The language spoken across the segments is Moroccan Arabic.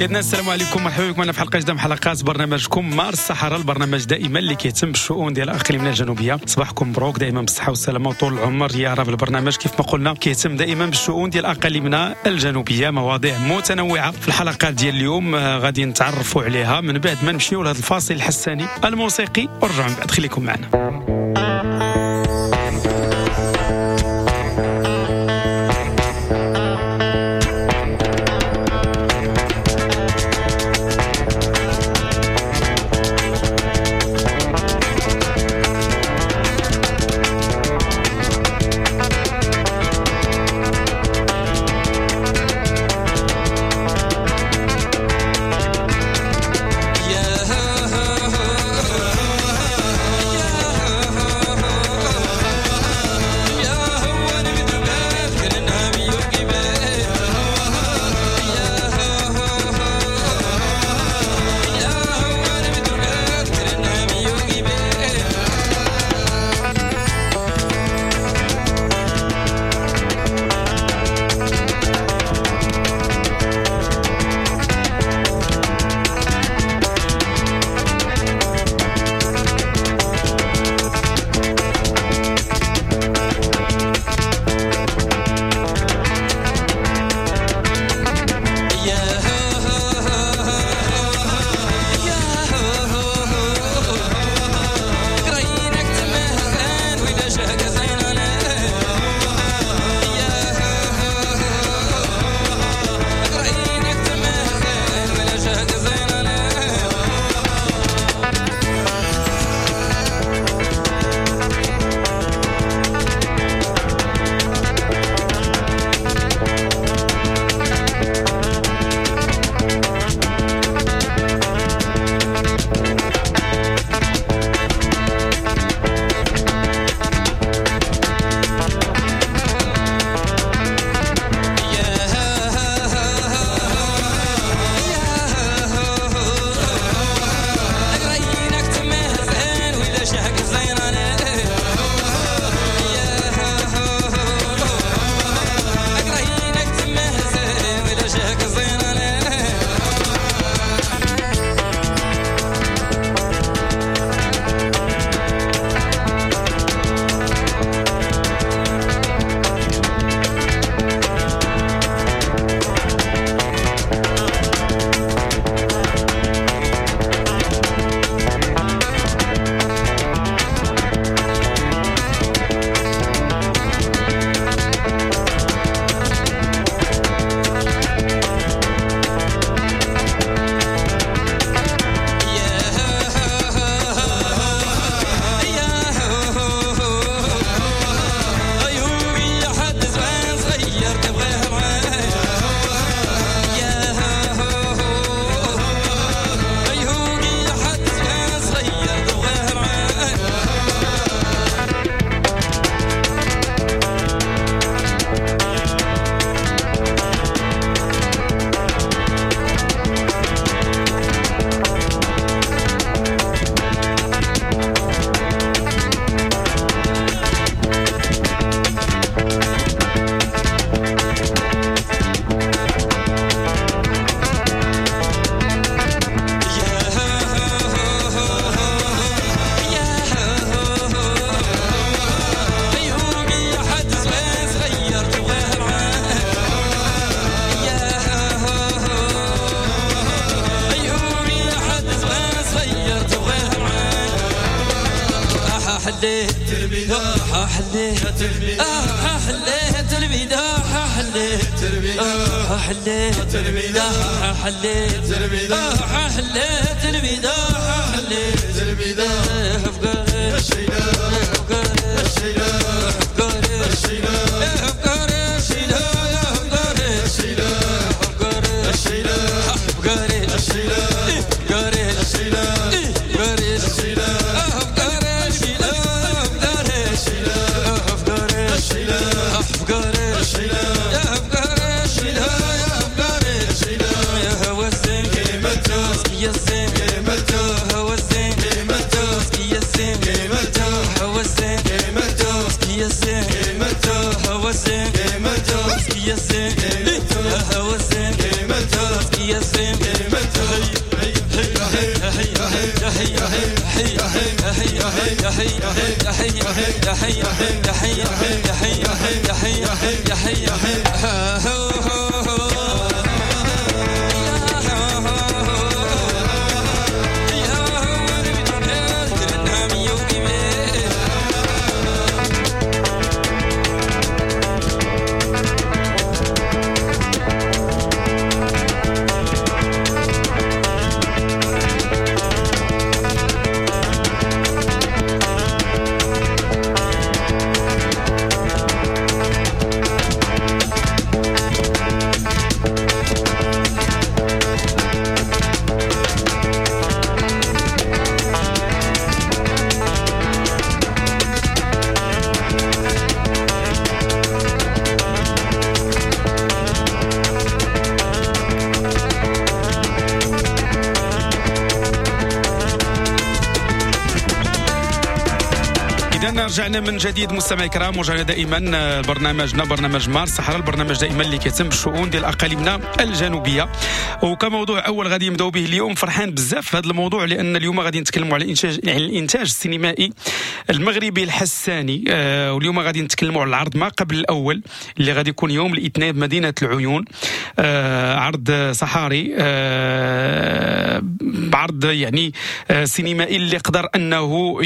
إذن السلام عليكم، مرحبا بكم معنا في حلقة جديدة من حلقات برنامجكم مار الصحراء، البرنامج دائما اللي كيهتم بالشؤون ديال اقليمنا الجنوبية. صباحكم مبروك دائما بالصحة والسلامة وطول العمر يا رب. البرنامج كيف ما قلنا كيهتم دائما بالشؤون ديال اقاليمنا الجنوبية، مواضيع متنوعة. في الحلقات ديال اليوم غادي نتعرفوا عليها من بعد ما نمشيو لهذا الفاصل الحساني الموسيقي ونرجعوا من بعد. خليكم معنا. يا رجعنا من جديد مستمعي الكرام، ورجعنا دائما برنامجنا برنامج مارس الصحراء، البرنامج دائما اللي كيتم بالشؤون ديال اقاليمنا الجنوبية. وكموضوع اول غادي نبداو به اليوم، فرحان بزاف في هذا الموضوع لان اليوم غادي نتكلموا على الانتاج، يعني الانتاج السينمائي المغربي الحساني. واليوم غادي نتكلموا على العرض ما قبل الاول اللي غادي يكون يوم الاثنين بمدينة العيون، عرض صحاري، عرض يعني سينمائي اللي قدر انه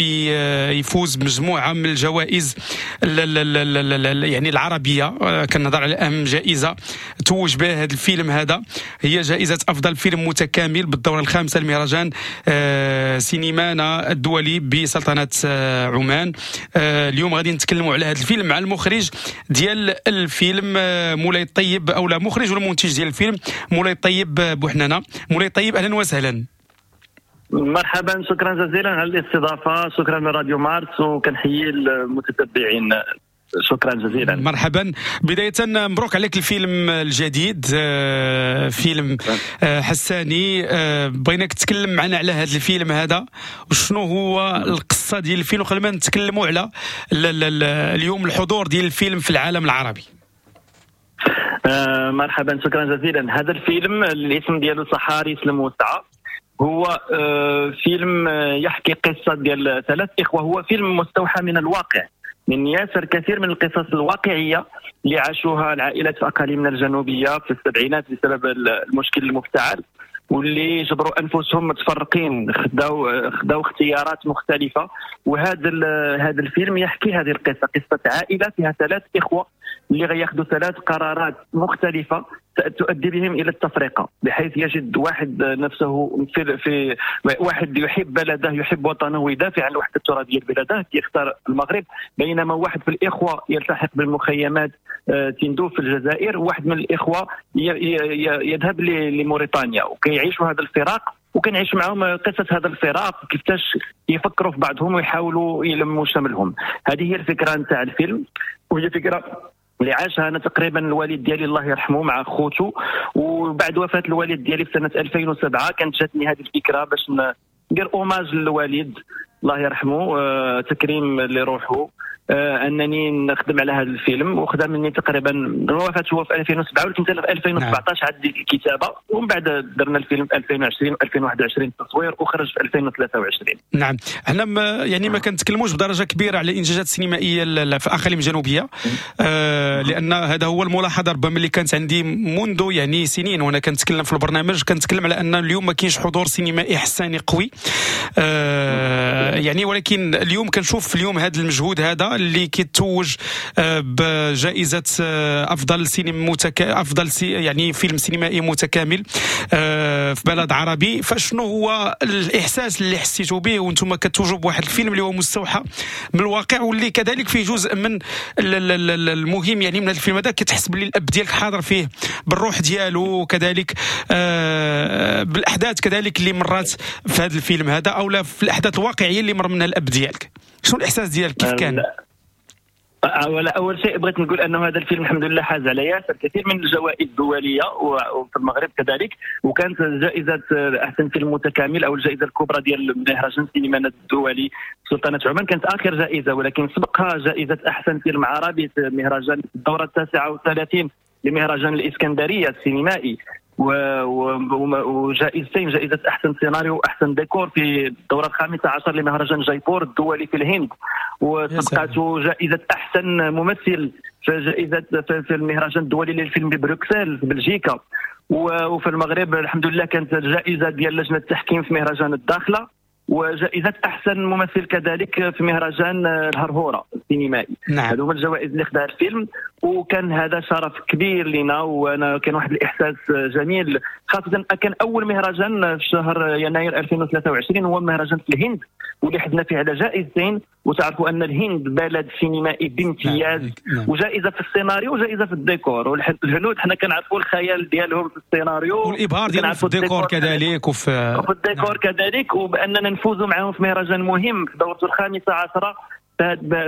يفوز بمجموعه من الجوائز يعني العربية. كنهضر على اهم جائزة توج بها هذا الفيلم هذا، هي جائزة افضل فيلم متكامل بالدوره الخامسة لمهرجان سينمانا الدولي بسلطنه عمان. اليوم غادي نتكلموا على هذا الفيلم مع المخرج ديال الفيلم مولاي الطيب، او لا مخرج والمنتج ديال الفيلم مولاي الطيب بوحنانه. مولاي الطيب اهلا وسهلا. مرحبا، شكرا جزيلا على الاستضافة، شكرا لراديو مارس وكنحيي المتتبعين، شكرا جزيلا. مرحبا. بداية مبروك عليك الفيلم الجديد، فيلم حساني. بغيناك تتكلم معنا على هذا الفيلم هذا وشنو هو القصة ديال الفيلم، وقبل ما نتكلموا على اليوم الحضور ديال الفيلم في العالم العربي. مرحبا، شكرا جزيلا. هذا الفيلم الاسم ديالو صحاري الموسعة، هو فيلم يحكي قصة ديال ثلاث إخوة. هو فيلم مستوحى من الواقع، من ياسر كثير من القصص الواقعية اللي عاشوها العائلات في أقاليمنا الجنوبية في السبعينات بسبب المشكل المفتعل، واللي جبروا أنفسهم متفرقين، خداو اختيارات مختلفة. وهذا هذا الفيلم يحكي هذه القصة، قصة عائلة فيها ثلاث إخوة اللي غياخذوا ثلاث قرارات مختلفة تؤدي بهم إلى التفرقة، بحيث يجد واحد نفسه في واحد يحب بلده، يحب وطنه ويدافع عن الوحدة الترابية لبلده، يختار المغرب، بينما واحد في الإخوة يلتحق بالمخيمات تندوف في الجزائر، وواحد من الإخوة يذهب لموريتانيا، وكيعيشوا هذا الفراق، وكنعيش معهم قصة هذا الفراق، كيفاش يفكروا في بعضهم ويحاولوا يلموا شملهم. هذه هي الفكرة نتاع الفيلم، وهي فكرة اللي عاشها انا تقريبا الوالد ديالي الله يرحمه مع خوته. وبعد وفاة الوالد ديالي في سنة 2007 كانت جاتني هذه الفكرة باش ندير hommage للوالد الله يرحمه، تكريم لروحه، انني نخدم على هذا الفيلم. وخدم مني تقريبا وفاته هو في 2007، ولكن في 2017 عاد بديت الكتابة، ومن بعد درنا الفيلم في 2020 و2021 التصوير، وخرج في 2023. نعم، احنا يعني ما كنتكلموش بدرجة كبيرة على الانجازات السينمائية في الاقاليم الجنوبية، لان هذا هو الملاحظة ربما اللي كانت عندي منذ يعني سنين وانا كنتكلم في البرنامج، كنتكلم على ان اليوم ما كاينش حضور سينمائي حساني قوي، يعني ولكن اليوم كنشوف اليوم هذا المجهود هذا اللي كيتوج بجائزة أفضل سينما أفضل يعني فيلم سينمائي متكامل في بلد عربي. فشنو هو الإحساس اللي حسيتوا به وانتم كتوجوا بواحد الفيلم اللي هو مستوحى من الواقع، واللي كذلك فيه جزء من المهم يعني من هذا الفيلم هذا كتحس باللي الأب ديالك حاضر فيه بالروح ديالو، وكذلك بالأحداث كذلك اللي مرات في هذا الفيلم هذا، أو لا في الأحداث الواقعية اللي مر منها الأب ديالك. شنو الإحساس ديالك كيف كان؟ أول شيء بغيت نقول أنه هذا الفيلم الحمد لله حاز على ياسر كثير من الجوائز الدولية وفي المغرب كذلك، وكانت جائزة أحسن فيلم متكامل أو الجائزة الكبرى ديال مهرجان سينما الدولي سلطنة عمان كانت آخر جائزة، ولكن سبقها جائزة أحسن فيلم عربي في مهرجان الدورة 39 لمهرجان الإسكندرية السينمائي. وجائزتين، جائزة احسن سيناريو واحسن ديكور في الدورة 15 لمهرجان جايبور الدولي في الهند، وسبقته جائزة احسن ممثل في جائزة في المهرجان الدولي للفيلم ببروكسل في بلجيكا. وفي المغرب الحمد لله كانت الجائزة ديال لجنة التحكيم في مهرجان الداخلة، وجائزة احسن ممثل كذلك في مهرجان الهرهوره السينمائي. نعم. هذو هما الجوائز اللي خداها الفيلم، وكان هذا شرف كبير لنا، وانا كان واحد الاحساس جميل، خاصة كان اول مهرجان في شهر يناير 2023 هو مهرجان في الهند واللي حزنا فيه على جائزتين، وتعرفوا ان الهند بلد سينمائي بامتياز. نعم. وجائزة في السيناريو وجائزة في الديكور، والهنود حنا كنعرفوا الخيال ديالهم في السيناريو والابهار ديالهم في الديكور كذلك، وفي الديكور كذلك، وباننا نفوزوا معهم في مهرجان مهم في دورته 15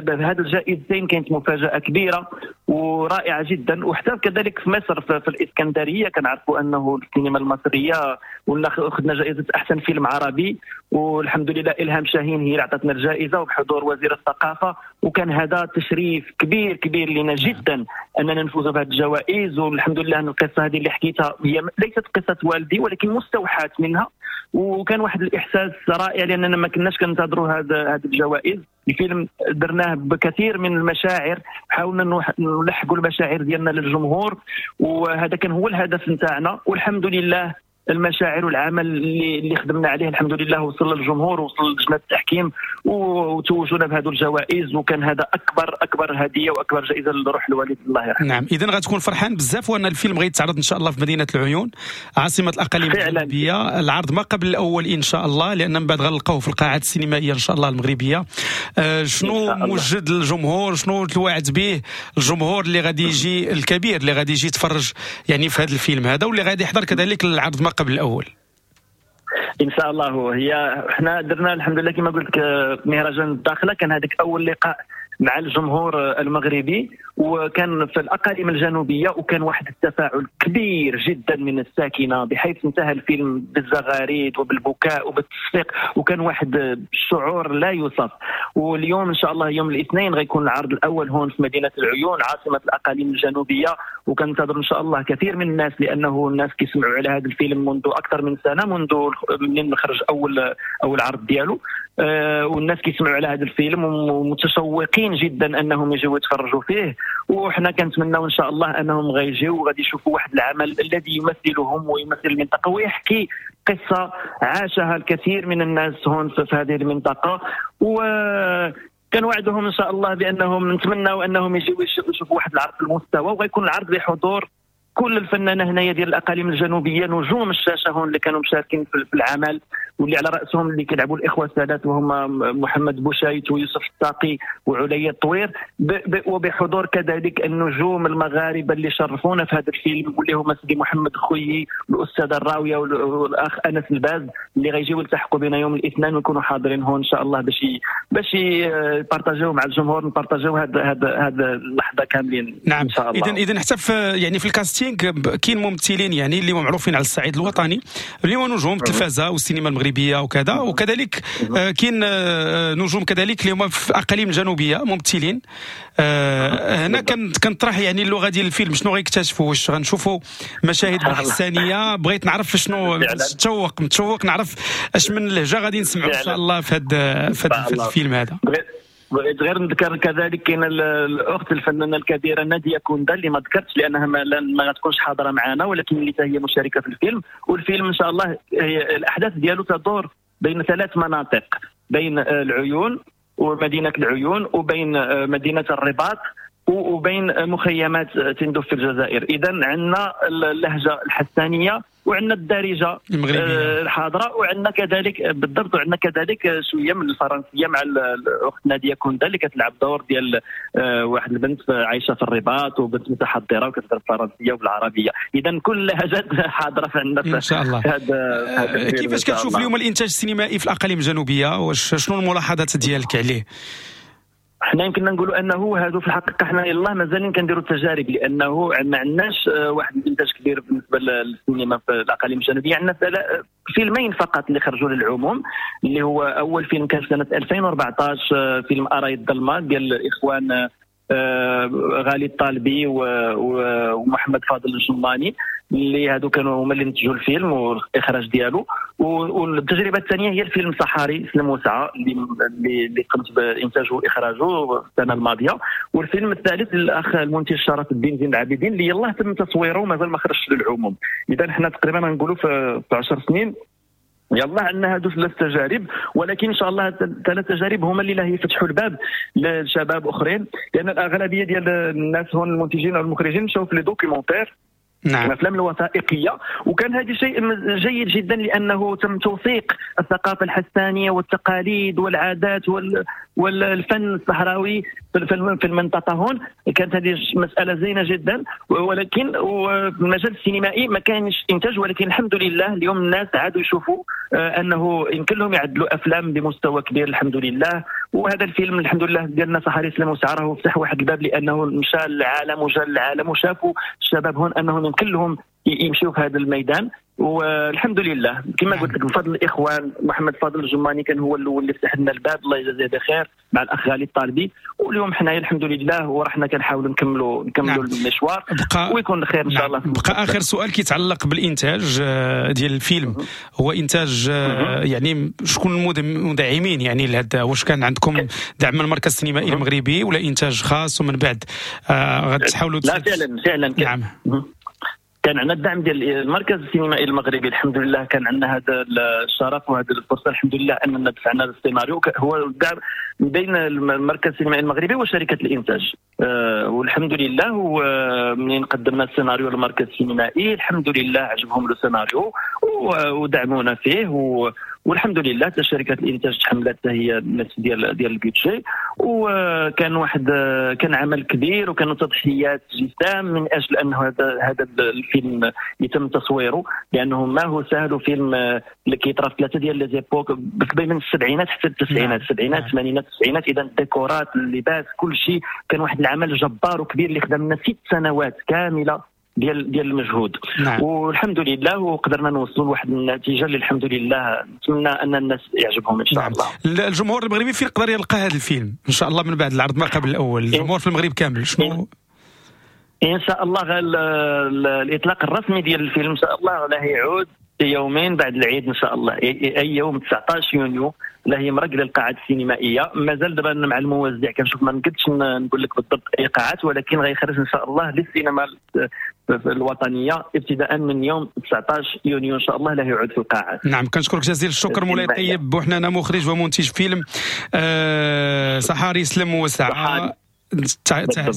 بهذه الجائزتين كانت مفاجأة كبيرة ورائعة جدا. وحتى كذلك في مصر في الإسكندرية كنعرفوا أنه السينما المصرية أخذنا جائزة أحسن فيلم عربي، والحمد لله إلهام شاهين هي اللي عطتنا الجائزة وبحضور وزير الثقافة، وكان هذا تشريف كبير كبير لنا جدا أننا نفوز بهذه الجوائز. والحمد لله أن القصة هذه اللي حكيتها هي ليست قصة والدي ولكن مستوحاة منها، وكان واحد الإحساس رائع لأننا ما كناش كنتظروا هذه الجوائز. الفيلم درناه بكثير من المشاعر، حاولنا نلحقوا المشاعر ديالنا للجمهور، وهذا كان هو الهدف نتاعنا، والحمد لله المشاعر والعمل اللي خدمنا عليه الحمد لله وصل للجمهور وصل لجنة التحكيم وتوجونا بهذو الجوائز، وكان هذا أكبر هدية وأكبر جائزة لروح الوالد الله يرحمه. نعم، إذن غتكون فرحان بزاف وأن الفيلم غيتعرض إن شاء الله في مدينة العيون عاصمة الأقاليم المغربية، العرض ما قبل الأول إن شاء الله، لأن من بعد غنلقاوه في القاعات السينمائية إن شاء الله المغربية. شنو موجد للجمهور، شنو توعد به الجمهور اللي غادي يجي الكبير اللي غادي يجي يتفرج يعني في هذا الفيلم هذا واللي غادي يحضر كذلك العرض ما قبل الأول؟ إن شاء الله. هي احنا درنا الحمد لله كما قلت مهرجان الداخلة كان هذاك أول لقاء مع الجمهور المغربي، وكان في الأقاليم الجنوبية، وكان واحد التفاعل كبير جدا من الساكنة بحيث انتهى الفيلم بالزغاريد وبالبكاء وبالتصفيق، وكان واحد الشعور لا يوصف. واليوم إن شاء الله يوم الاثنين غيكون العرض الأول هون في مدينة العيون عاصمة الأقاليم الجنوبية، وكنتظر إن شاء الله كثير من الناس، لأنه الناس كيسمعوا على هذا الفيلم منذ أكثر من سنة، منذ من خرج أول عرض ديالو، والناس كيسمعوا على هذا الفيلم ومتشوقين جدا أنهم يجوا يتفرجوا فيه. وحنا كنتمناو ان شاء الله انهم غيجيو وغادي يشوفوا واحد العمل الذي يمثلهم ويمثل المنطقة ويحكي قصة عاشها الكثير من الناس هون في هذه المنطقة، وكنوعدهم ان شاء الله بانهم نتمناو انهم يجيو يشوفوا واحد العرض في المستوى، وغيكون العرض بحضور كل الفنانة هنايا ديال الاقاليم الجنوبية، نجوم الشاشة هون اللي كانوا مشاركين في العمل، واللي على راسهم اللي كيلعبوا الاخوة الثلاث وهما محمد بوشايت ويوسف الطاقي وعليا الطوير، وبحضور كذلك النجوم المغاربة اللي شرفونا في هذا الفيلم واللي هما سيدي محمد خويي والاستاذه الراوية والاخ انس الباز اللي غيجيو يلتحقوا بنا يوم الاثنين ويكونوا حاضرين هون ان شاء الله باش يبارطاجيو مع الجمهور، نبارطاجيو هذا اللحظة كاملين. نعم. ان شاء الله. اذا حتى في يعني في ال casting كاين ممثلين يعني اللي معروفين على الصعيد الوطني اللي هما نجوم التلفزة والسينما المغربية وكذا، وكذلك كاين نجوم كذلك اللي هما في الاقاليم الجنوبية ممثلين. هنا كنطرح يعني اللغة ديال الفيلم، شنو غيكتشفوا؟ واش غنشوفوا مشاهد بالحسانيه؟ بغيت نعرف شنو، متشوق نعرف اش من لهجه غادي نسمعوا ان شاء الله في هذا الفيلم هذا. بغيت غير نذكر كذلك كاين الاخت الفنانة الكبيرة ناديه كوندا اللي ما ذكرتش لانها ما غتكونش حاضره معنا، ولكن اللي هي مشاركة في الفيلم. والفيلم ان شاء الله الاحداث ديالو تدور بين ثلاث مناطق، بين العيون ومدينة العيون، وبين مدينة الرباط، وبين مخيمات تندوف في الجزائر. اذا عندنا اللهجة الحسانيه وعندنا الدارجة الحاضرة، وعندنا كذلك بالضبط وعندنا كذلك شوية من الفرنسية مع الاخت ناديه كوندا اللي كتلعب دور ديال واحد البنت عايشه في الرباط وبنت متحضره وكتهضر بالفرنسيه وبالعربيه. اذا كل اللهجات حاضره عندنا ان شاء الله. كيفاش كتشوف اليوم الانتاج السينمائي في الاقاليم الجنوبية؟ واش شنو الملاحظات ديالك عليه؟ حنا يمكننا نقولوا انه هادو في الحقيقة حنا يلاه مازالين كنديروا التجارب، لانه ما عندناش واحد الانتاج كبير بالنسبة للسينما في الاقاليم الجنوبية. عندنا فيلمين فقط اللي خرجوا للعموم، اللي هو اول فيلم كان في سنة 2014 فيلم اراي الظلمة ديال الاخوان غالي الطالبي ومحمد فاضل الجماني، اللي هادو كانوا هما اللي نتجوا الفيلم والاخراج ديالو. والتجربة الثانية هي الفيلم صحاري سلم وسعى اللي قمت بانتاجه واخراجه السنة الماضية. والفيلم الثالث الاخ المنتج شرف الدين زين العابدين اللي يلاه تم تصويره ومازال ما خرجش للعموم. اذا حنا تقريبا نقولوا في 10 سنين يلا عندنا هادو 3 تجارب، ولكن ان شاء الله 3 تجارب هما اللي له يفتحوا الباب للشباب اخرين، لان الاغلبية ديال الناس هون المنتجين او المخرجين مشاو في les documentaires، نعم، الافلام الوثائقية. وكان هذا شيء جيد جدا لانه تم توثيق الثقافة الحسانيه والتقاليد والعادات والفن الصحراوي في المنطقة هون. كانت هذه مسالة زينة جدا، ولكن في المجال السينمائي ما كانش انتاج. ولكن الحمد لله اليوم الناس عادوا يشوفوا انه يمكن لهم يعدلوا افلام بمستوى كبير الحمد لله. وهذا الفيلم الحمد لله ديالنا صحاري سلم وسعى فتح واحد الباب، لانه مشى للعالم وجا للعالم وشافوا الشباب هون انهم يمكن لهم يمشيوا في هذا الميدان. والحمد لله كما قلت لك بفضل الاخوان محمد فاضل الجماني كان هو الاول اللي فتح لنا الباب، الله يجازيه بخير، مع الاخ غالي الطالبي. واليوم حنايا الحمد لله ورحنا كنحاولوا نكملوا نعم. المشوار ويكون الخير ان شاء الله. بقى اخر سؤال كيتعلق بالانتاج ديال الفيلم، هو انتاج يعني شكون المدعمين يعني لهذا؟ واش كان عندكم دعم من المركز السينمائي المغربي ولا انتاج خاص ومن بعد غتحاولوا؟ لا فعلا نعم، كان عندنا الدعم ديال المركز السينمائي المغربي الحمد لله. كان عندنا هذا الشرف وهذه الفرصة الحمد لله اننا دفعنا السيناريو. هو الدعم بين المركز السينمائي المغربي وشركه الانتاج، والحمد لله. ومنين قدمنا السيناريو للمركز السينمائي الحمد لله عجبهم السيناريو ودعمونا فيه، والحمد لله حتى شركة الانتاج تحملت هي النصف ديال ال budget. وكان واحد كان عمل كبير وكانوا تضحيات جسام من اجل انه هذا الفيلم يتم تصويره، لانه ما هو سهل. وفيلم اللي كيطرا في 3 ديال les époques من السبعينات حتى التسعينات، السبعينات الثمانينات التسعينات. اذا الديكورات، اللباس، كل شيء كان واحد العمل جبار وكبير اللي خدمنا 6 سنوات كاملة ديال المجهود. نعم. والحمد لله وقدرنا نوصلوا لواحد النتيجة اللي الحمد لله نتمنى ان الناس يعجبهم ان شاء الله. الجمهور المغربي فين يقدر يلقى هذا الفيلم ان شاء الله من بعد العرض ما قبل الاول؟ الجمهور في المغرب كامل شنو ان شاء الله الاطلاق الرسمي ديال الفيلم ان شاء الله له يعود يومين بعد العيد ان شاء الله، اي يوم 19 يونيو لا هي مرق للقاعات السينمائية. مازال دابا مع الموزع كنشوف، ما نقدش نقول لك بالضبط اي قاعات، ولكن غيخرج ان شاء الله للسينما الوطنية ابتداء من يوم 19 يونيو ان شاء الله لا يعود في القاعات. نعم، كنشكرك جزيل الشكر مولاي طيب بوحنانه، مخرج ومنتج فيلم صحاري سلم وسعى.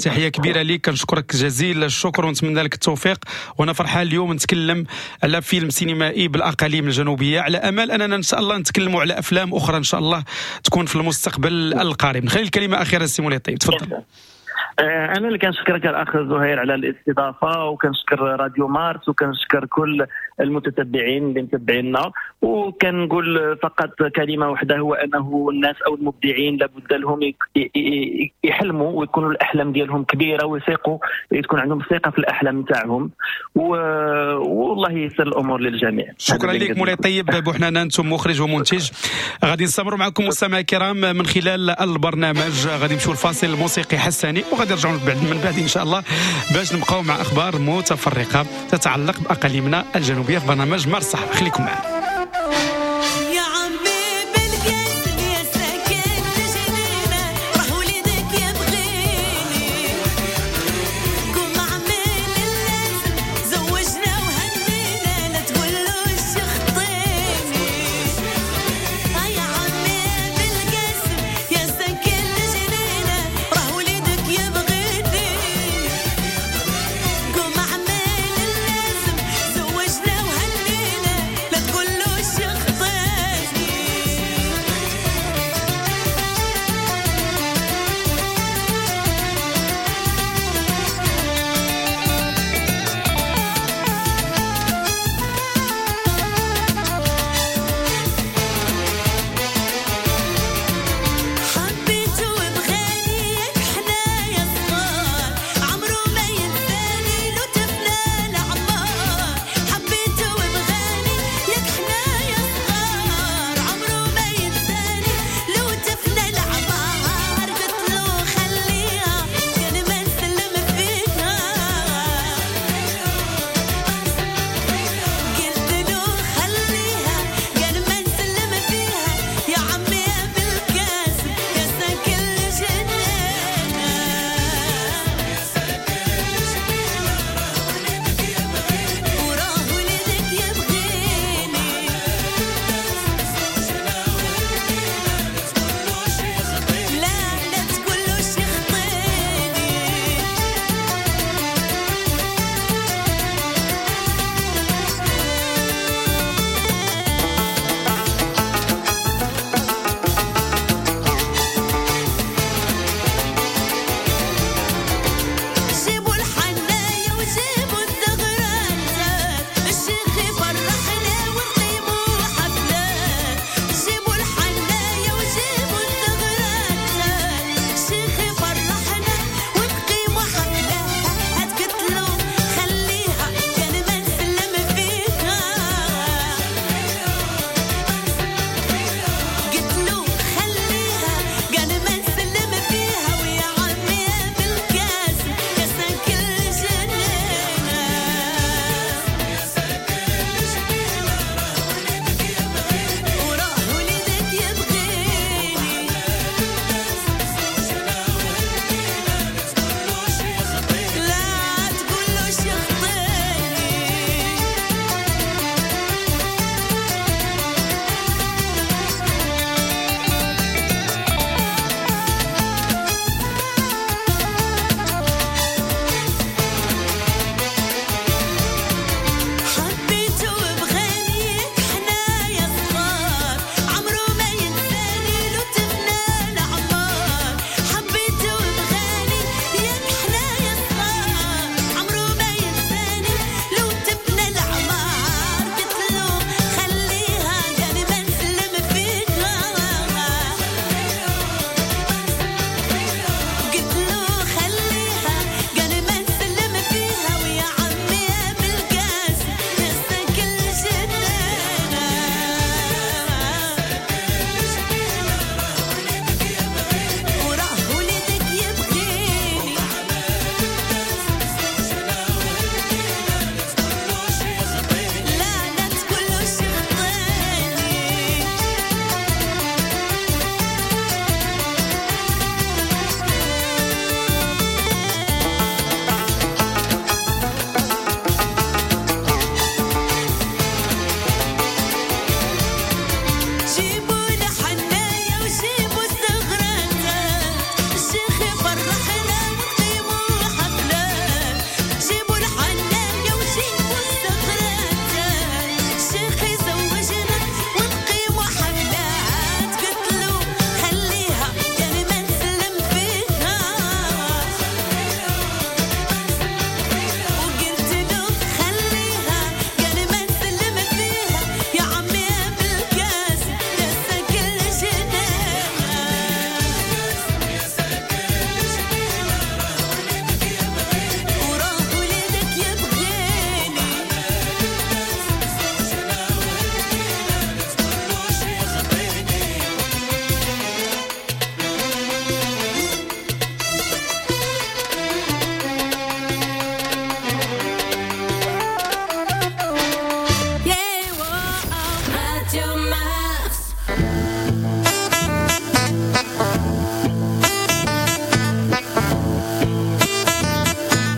تحية كبيرة ليك، كنشكرك جزيل الشكر ونتمنى لك التوفيق. وانا فرحان اليوم نتكلم على فيلم سينمائي بالاقاليم الجنوبية، على امل اننا ان شاء الله نتكلموا على افلام اخرى ان شاء الله تكون في المستقبل القريب. نخلي الكلمة اخيرا سي مولاي طيب، تفضل. انا اللي كنشكرك الاخ زهير على الاستضافة، وكنشكر راديو مارس، وكنشكر كل المتتبعين اللي متبعينا. وكنقول فقط كلمة واحدة، هو انه الناس او المبدعين لابد لهم يحلموا ويكونوا الاحلام ديالهم كبيرة، ويثقوا، تكون عندهم ثقة في الاحلام تاعهم، والله ييسر الامور للجميع. شكرا لك مولاي طيب بوحنانه، انتم مخرج ومنتج. غادي نستمروا معكم مستمعي الكرام من خلال البرنامج. غادي نمشيو لفاصل موسيقي حساني وغادي نرجعوا من بعد ان شاء الله باش نبقاو مع اخبار متفرقة تتعلق باقاليمنا الجنوبية في برنامج مارس الصحراء. خليكم معنا. زوجنا وهنينا لا تقولوش.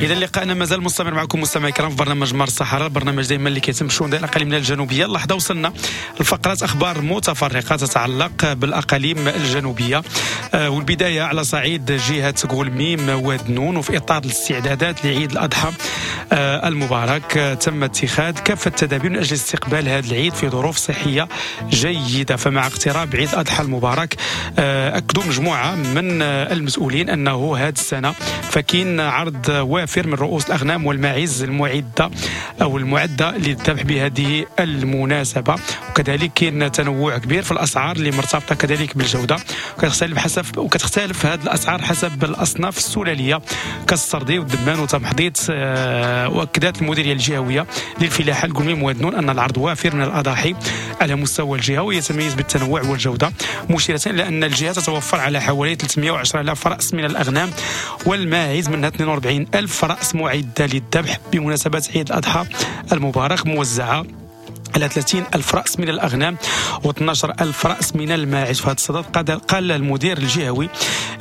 اذا لقاءنا مازال مستمر معكم مستمعي الكرام في برنامج مار الصحراء، البرنامج دائما اللي كيتم شؤون ديال الاقاليم الجنوبية. اللحظة وصلنا لفقرات اخبار متفرقة تتعلق بالاقاليم الجنوبية، والبداية على صعيد جهة كلميم واد نون. وفي اطار الاستعدادات لعيد الاضحى المبارك تم اتخاذ كافة التدابير من اجل استقبال هذا العيد في ظروف صحية جيدة. فمع اقتراب عيد الاضحى المبارك اكدوا مجموعة من المسؤولين انه هذه السنة فكاين عرض وافر من رؤوس الاغنام والماعز المعدة او المعدة للذبح بهذه المناسبة، وكذلك كاين تنوع كبير في الاسعار اللي مرتبطة كذلك بالجودة، وكتختلف هذه الاسعار حسب الاصناف السلاليه كالسردي والدمان وتمحضيط. واكدت المديرية الجهوية للفلاحه الكلميم واد نون ان العرض وافر من الاضاحي على مستوى الجهة ويتميز بالتنوع والجودة، مشيره الى ان الجهة تتوفر على حوالي 310,000 راس من الاغنام والماعز، منها 42,000 راس معده للذبح بمناسبة عيد الاضحى المبارك، موزعة على 30,000 رأس من الأغنام و12,000 رأس من الماعز. في هذا الصدد قال المدير الجهوي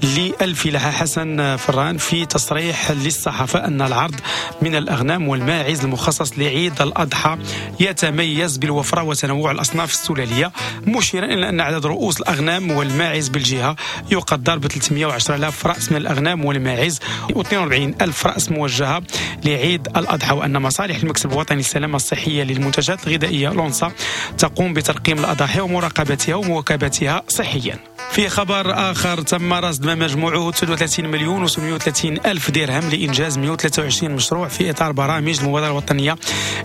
للفلاحة حسن فران في تصريح للصحافة أن العرض من الأغنام والماعز المخصص لعيد الأضحى يتميز بالوفرة وتنوع الأصناف السلالية، مشيرا إلى أن عدد رؤوس الأغنام والماعز بالجهة يقدر ب 310,000 رأس من الأغنام والماعز و42,000 رأس موجهة لعيد الأضحى، وأن مصالح المكتب الوطني للسلامة الصحية للمنتجات الغذائية لونسا تقوم بترقيم الأضاحي ومراقبتها ومواكبتها صحيا. في خبر آخر، تم رصد ما مجموعة 39,830,000 درهم لإنجاز 123 مشروع في إطار برامج المبادرة الوطنية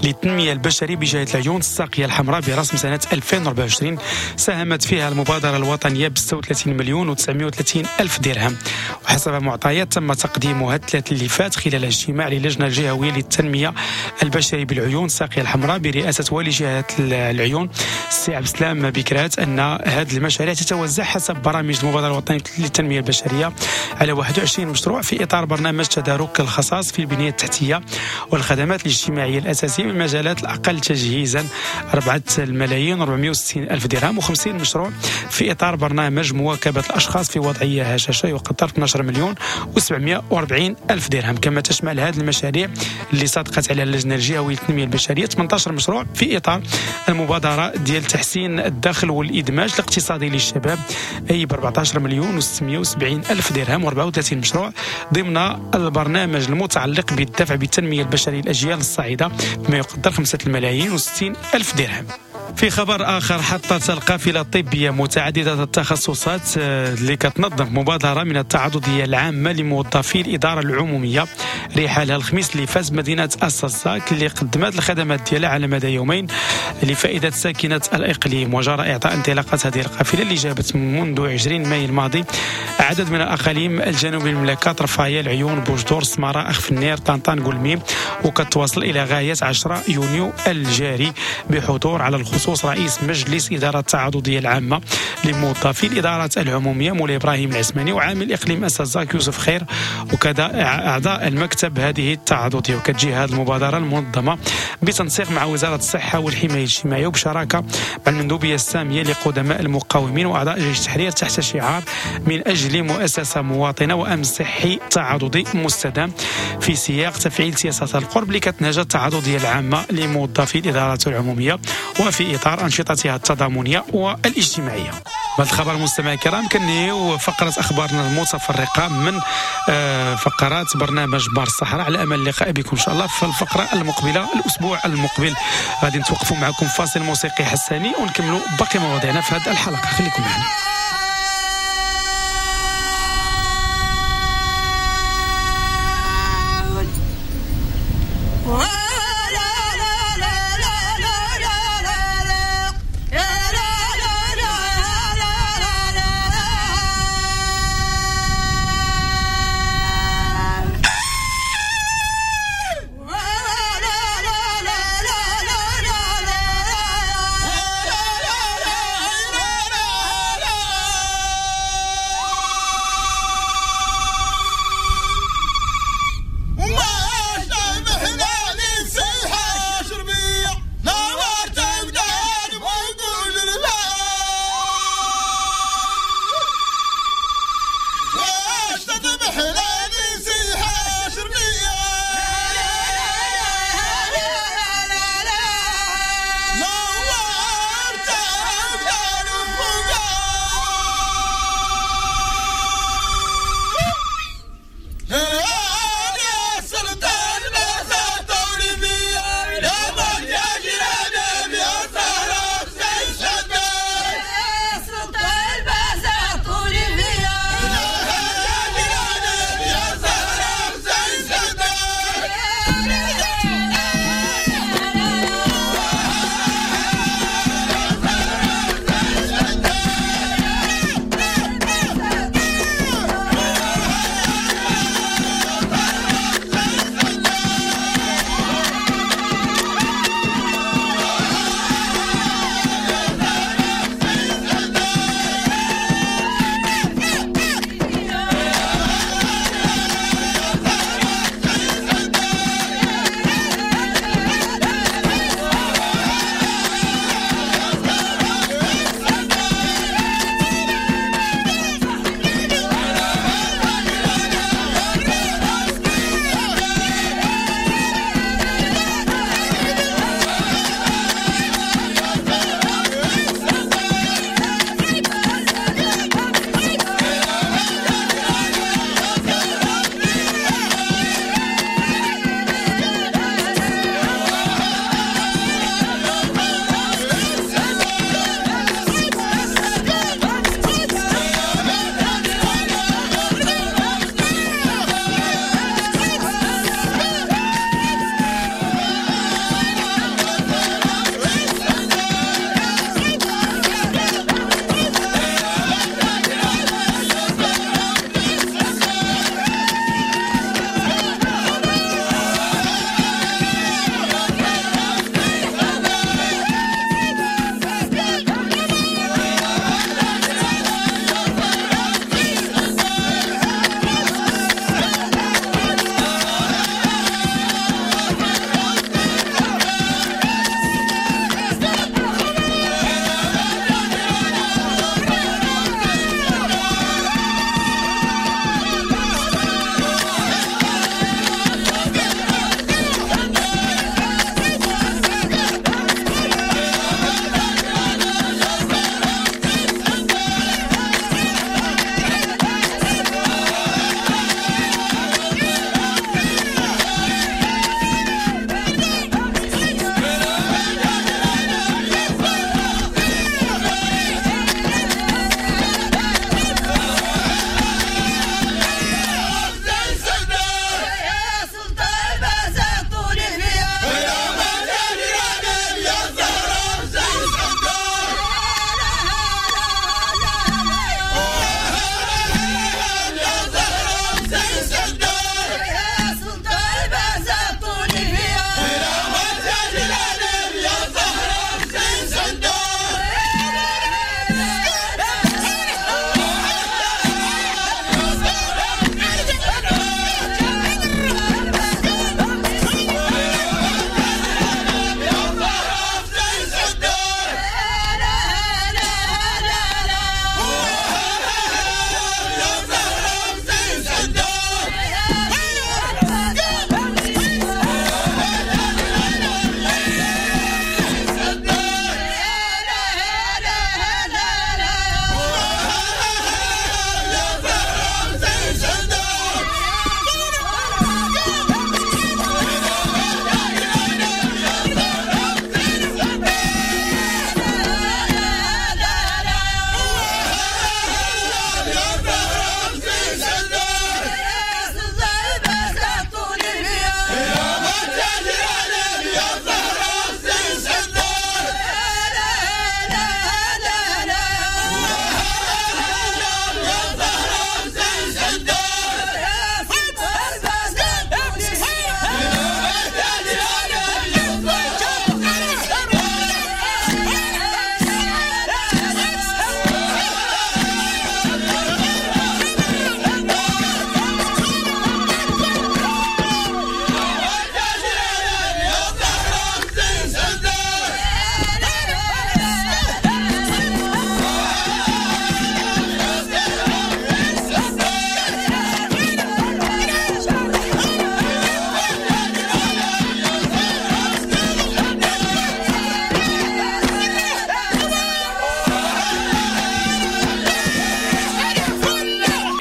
للتنمية البشرية بجهة العيون الساقية الحمراء برسم سنة 2024، ساهمت فيها المبادرة الوطنية ب 36,930,000 درهم. وحسب معطيات تم تقديمها الثلاث اللي فات خلال اجتماع للجنة الجهوية للتنمية البشرية بالعيون الساقية الحمراء برئاسة والي جهة العيون السي عبد السلام بكرات أن هذه المشاريع تتوزع حسب برامج المبادرة الوطنية للتنمية البشرية على 21 مشروع في إطار برنامج تدارك الخصاص في البنية التحتية والخدمات الاجتماعية الأساسية بالمجالات الأقل تجهيزا 4,460,000 درهم، و50 مشروع في إطار برنامج مواكبة الأشخاص في وضعية هشاشة يقدر 12,740,000 درهم. كما تشمل هذه المشاريع اللي صادقت على اللجنة الجهوية للتنمية البشرية 18 مشروع في إطار المبادرة ديال تحسين الدخل والإدماج الاقتصادي للشباب أي ب 14,670,000 درهم، و34 مشروع ضمن البرنامج المتعلق بالدفع بالتنمية البشرية للأجيال الصاعدة بما يقدر 5,060,000 درهم. في خبر آخر، حطت القافلة الطبية متعددة التخصصات اللي كتنظم مبادرة من التعاضدية العامة لموظفي الإدارة العمومية رحالها الخميس اللي فاز مدينة السزاك اللي قدمت الخدمات ديالها على مدى يومين لفائدة ساكنة الإقليم. وجرى إعطاء انطلاقة هذه القافلة اللي جابت منذ 20 ماي الماضي عدد من الأقاليم الجنوبية المملكة، طرفاية، العيون، بوجدور، سمارة، أخفنير، طنطان، قلميم، وكتواصل إلى غاية 10 يونيو الجاري بحضور على الخصوص رئيس مجلس إدارة التعاضدية العامة لموظفي الإدارات العمومية مولاي إبراهيم العثماني وعامل إقليم السزاك يوسف خير وكذا أعضاء المكتب هذه التعاضدية. وكتجي هذه المبادرة المنظمة بتنسيق مع وزارة الصحة والحماية الاجتماعية وبشراكة مع المندوبية السامية لقدماء المقاومين وأعضاء جيش التحرير تحت شعار من أجل مؤسسة مواطنة وأمن صحي تعاضدي مستدام في سياق تفعيل سياسة القرب اللي كتنهج التعاضدية العامة لموظفي الإدارات العمومية وفي إطار أنشطتها التضامنية والاجتماعية. بهذا الخبر المستمعين الكرام كنهيو فقرة أخبارنا المتفرقة من فقرات برنامج بار الصحراء، على أمل اللقاء بكم إن شاء الله في الفقرة المقبلة الأسبوع المقبل. غادي نتوقفوا معكم فاصل موسيقي حساني ونكملوا باقي مواضيعنا في هذه الحلقة، خليكم معنا.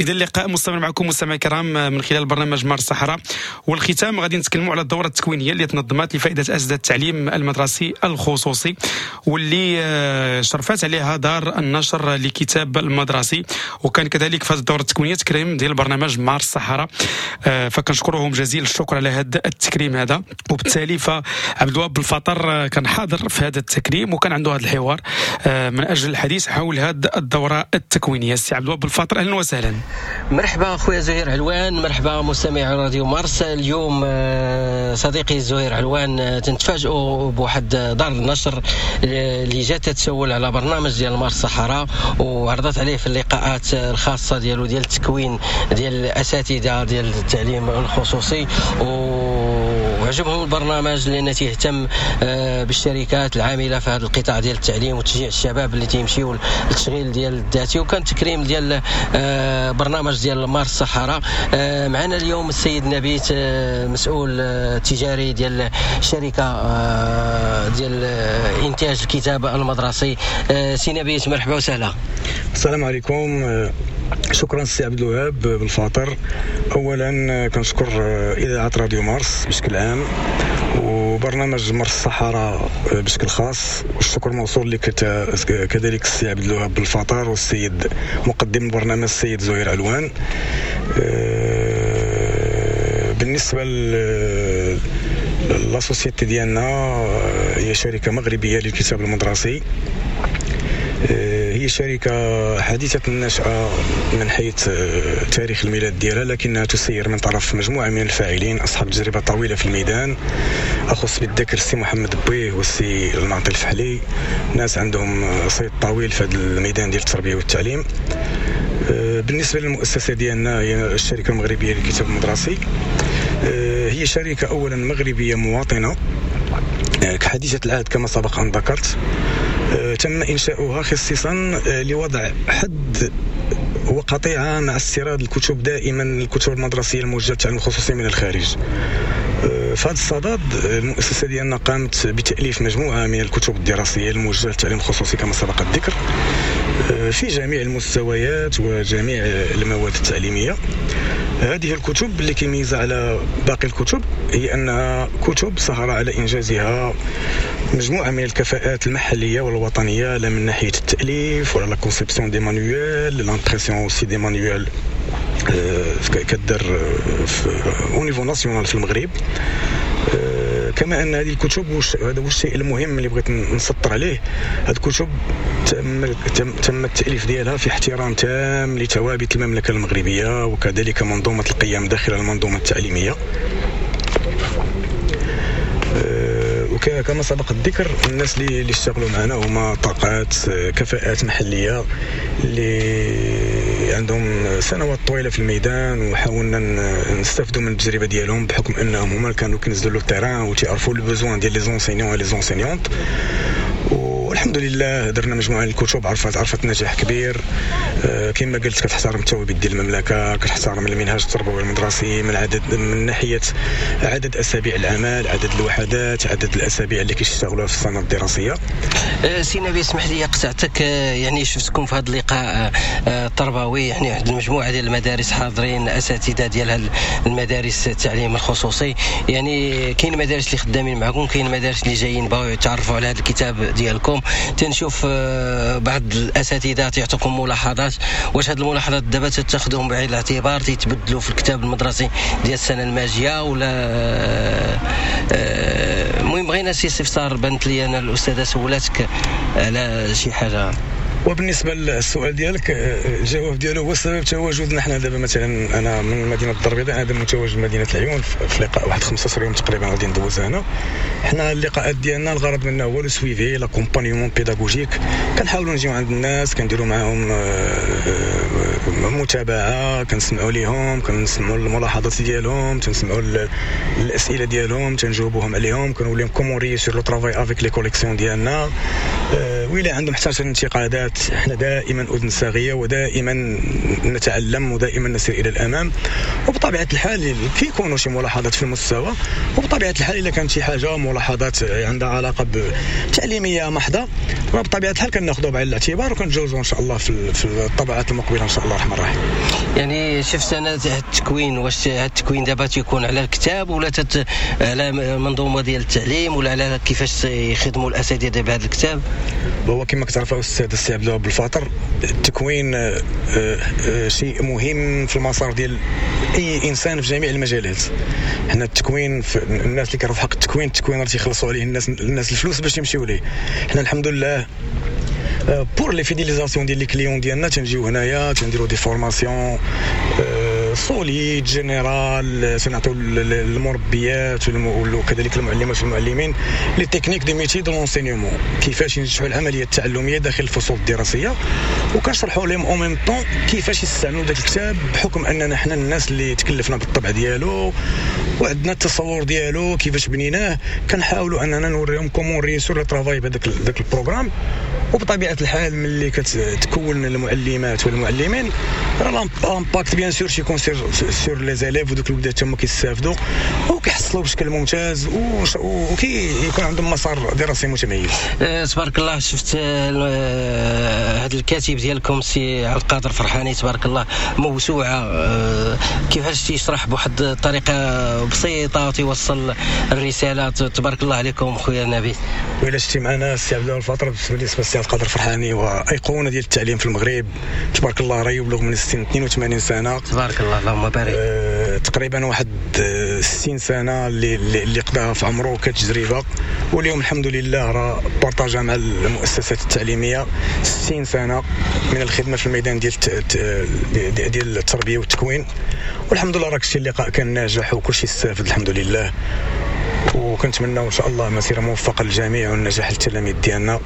اذا اللقاء مستمر معكم مستمعي الكرام من خلال برنامج مارس الصحراء، والختام غادي نتكلموا على الدورة التكوينيه اللي تنظمت لفائدة اساتذة التعليم المدرسي الخصوصي، واللي شرفت عليها دار النشر لكتاب المدرسي، وكان كذلك في هذه الدورة التكوينيه تكريم ديال برنامج مارس الصحراء، فكنشكرهم جزيل الشكر على هذا التكريم هذا. وبالتالي فعبد الوهاب بالفطر كان حاضر في هذا التكريم وكان عنده هذا الحوار من اجل الحديث حول هذه الدورة التكوينيه. السي عبد الوهاب بالفطر، اهلا وسهلا. مرحبا خويا زهير علوان، مرحبا مستمعي راديو مارس. اليوم صديقي زهير علوان تنتفاجئوا بواحد دار النشر اللي جات تتسول على برنامج ديال مارس الصحراء، وعرضت عليه في اللقاءات الخاصة ديالو ديال التكوين ديال الاساتذة ديال التعليم الخصوصي، وعجبهم البرنامج لان تيهتم بالشركات العاملة في هذا القطاع ديال التعليم وتشجيع الشباب اللي تيمشيو للتشغيل ديال الذاتي، وكان تكريم ديال برنامج ديال مارس الصحراء. معنا اليوم السيد نبيت، مسؤول تجاري ديال شركة ديال انتاج الكتاب المدرسي. سي نبيت، مرحبا وسهلا. السلام عليكم، شكرا سي عبد الوهاب بالفاطر. اولا كنشكر اذاعة راديو مارس بشكل عام وبرنامج مارس الصحراء بشكل خاص، والشكر موصول لك كذلك السي عبد الوهاب بالفاطر والسيد مقدم البرنامج السيد زهير علوان. بالنسبة la société ديالنا هي شركة مغربية للكتاب المدرسي، هي شركة حديثة النشأة من حيث تاريخ الميلاد ديالها، لكنها تسير من طرف مجموعة من الفاعلين أصحاب تجربة طويلة في الميدان، أخص بالذكر السي محمد بويه والسي المعطي الفحلي، ناس عندهم صيت طويل في هذا الميدان ديال التربية والتعليم. بالنسبة للمؤسسة ديالنا هي الشركة المغربية للكتاب المدرسي، هي شركة أولا مغربية مواطنة حديثة العهد كما سبق أن ذكرت، تم إنشاؤها خصيصا لوضع حد وقطيعة مع استيراد الكتب، دائما الكتب المدرسية الموجهة للتعليم الخصوصي من الخارج. في هذا الصدد المؤسسة ديالنا قامت بتأليف مجموعة من الكتب الدراسية الموجهة للتعليم الخصوصي كما سبق الذكر في جميع المستويات وجميع المواد التعليمية. هذه الكتب اللي كيميزها على باقي الكتب هي أنها كتب سهر على إنجازها مجموعة من الكفاءات المحلية والوطنية، لا من ناحية التأليف ولا la conception des manuels، l'impression aussi des manuels كدار au niveau national في المغرب. كما ان هذه الكتب، هذا هو الشيء المهم اللي بغيت نسطر عليه، هذه الكتب تم التأليف ديالها في احترام تام لثوابت المملكة المغربية وكذلك منظومة القيم داخل المنظومة التعليمية. وكما سبق الذكر الناس اللي اشتغلوا معنا هما طاقات كفاءات محلية اللي عندهم سنوات طويلة في الميدان، وحاولنا نستافدوا من التجربة ديالهم بحكم انهم هما كانوا كينزلوا le terrain وتيعرفوا les besoins ديال les enseignants les enseignantes. والحمد لله درنا مجموعة من الكتب عرفت نجاح كبير. كما قلت كتحترم الثوابت ديال المملكة، كتحترم المنهاج التربوي المدرسي من ناحية عدد اسابيع العمل، عدد الوحدات، عدد الاسابيع اللي كيشتغلوها في السنة الدراسية. سي نبي، اسمح لي قطعتك، يعني شفتكم في هذا اللقاء التربوي، يعني واحد المجموعة ديال المدارس حاضرين، اساتذة ديال المدارس التعليم الخصوصي، يعني كاين مدارس اللي خدامين معكم، كاين مدارس اللي جايين باغيو يتعرفوا على هذا الكتاب ديالكم. تنشوف بعض الاساتذة تيعطوكم ملاحظات، واش هاد الملاحظات دابا تاخذوهم بعين الاعتبار تيتبدلوا في الكتاب المدرسي ديال السنة الماجيه ولا؟ المهم بغينا سي استفسار، بانت لي انا الاستاذة سولاتك على شي حاجة. وبالنسبة للسؤال ديالك، الجواب ديالو هو سبب تواجدنا حنا دابا. مثلا انا من مدينة الدار البيضاء، انا دابا متواجد مدينة العيون في لقاء واحد 15 يوم تقريبا غادي ندوز هنا. حنا اللقاءات ديالنا الغرض منها هو le suivi، l'accompagnement pédagogique. كنحاولوا نجيو عند الناس، كنديروا معاهم متابعه، كنسمعوا ليهم، كنسمعوا الملاحظات ديالهم، تنسمعوا الاسئلة ديالهم، تنجاوبوهم عليهم، كنقول لهم comment réussir le travail avec les collections ديالنا. وإلا عندهم حتى شي انتقادات، احنا دائما اذن صاغيه ودائما نتعلم ودائما نسير الى الامام. وبطبيعة الحال كيكونوا شي ملاحظات في المستوى، وبطبيعة الحال الا كانت شي حاجة ملاحظات عندها علاقة بتعليميه محضة، بطبيعة الحال كناخذوها بعين الاعتبار وكنتجاوزوا ان شاء الله في الطبعات المقبلة ان شاء الله. الله الرحمن الرحيم. يعني شفت انا التكوين، واش التكوين دابا تيكون على الكتاب ولا على منظومة ديال التعليم ولا على كيفاش يخدموا الاساتذة بهذا الكتاب؟ هو كما كتعرف استاذ السي عبد الوهاب بالفاطر، التكوين شيء مهم في المسار ديال اي انسان في جميع المجالات. حنا التكوين، الناس اللي كيعرفوا حق التكوين، التكوين راه تيخلصوا عليه الناس الفلوس باش يمشيو ليه. حنا الحمد لله pour les fidélisations ديال les clients ديالنا تنجيو هنايا تنديروا des formations solides générales، تنعطيو المربيات وكذلك المعلمات والمعلمين les techniques des métiers de l'enseignement، كيفاش ينجحوا العملية التعلميه داخل الفصول الدراسيه، وكنشرحوا لهم en même temps كيفاش يستعملوا ذاك الكتاب، بحكم اننا حنا الناس اللي تكلفنا بالطبع ديالو وعندنا التصور ديالو كيفاش بنيناه، كنحاولوا اننا نوريهم comment réussir le travail بهذاك ال programme. وبطبيعة الحال ملي كتكون المعلمات والمعلمين راه l'impact bien sûr تيكون sur les élèves، ودوك الوليدات تما كيستافدوا وكيحصلوا بشكل ممتاز وكيكون عندهم مسار دراسي متميز. تبارك الله. شفت هذا الكاتب ديالكم سي عبد القادر فرحاني، تبارك الله موسوعة، كيفاش تيشرح بواحد الطريقة بسيطة وتيوصل الرسالة. تبارك الله عليكم خويا نبيل. وإلا شتي معنا السي عبد الفاطر، بالنسبة للسي عبد القادر فرحاني وايقونه ديال التعليم في المغرب، تبارك الله راه يبلغ من السن 82 سنة، تبارك الله اللهم بارك. تقريبا واحد 60 سنة اللي قضاها في عمره كتجربة، واليوم الحمد لله راه partagea مع المؤسسات التعليمية 60 سنة من الخدمة في الميدان ديال التربية والتكوين، والحمد لله راك شتي اللقاء كان ناجح وكل شيء استافد الحمد لله. وكنتمناو ان شاء الله مسيره موفقة للجميع والنجاح للتلاميذ ديالنا،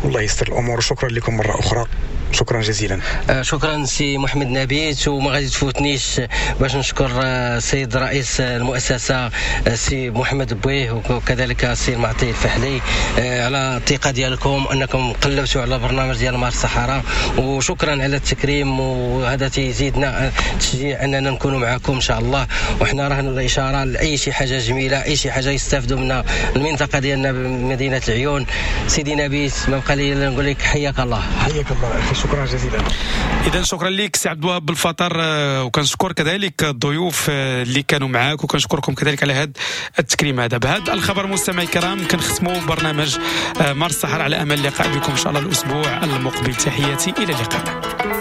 والله يستر الامور. وشكرا لكم مرة اخرى، شكرا جزيلا. شكرا سي محمد نبيت، وما غادي تفوتنيش باش نشكر السيد رئيس المؤسسة سي محمد بويه وكذلك السي المعطي الفحلي على الثقة ديالكم انكم قلبتوا على برنامج ديال مارس الصحراء، وشكرا على التكريم، وهذا تيزيدنا تشجيع اننا نكونوا معكم ان شاء الله. وحنا رهن الاشارة لاي شي حاجة جميلة، اي شي حاجة يستافدوا منها المنطقة ديالنا بمدينة العيون. سيدي نبيت ما بقى لي نقول لك حياك الله. حياك الله اخي، شكرا جزيلا. اذا شكرا لك سي عبد الوهاب بالفطر، وكنشكر كذلك الضيوف اللي كانوا معاك، وكنشكركم كذلك على هذا التكريم هذا. بهذا الخبر مستمعي الكرام كنختموا برنامج مارس الصحراء، على امل اللقاء بكم ان شاء الله الاسبوع المقبل. تحياتي، الى اللقاء.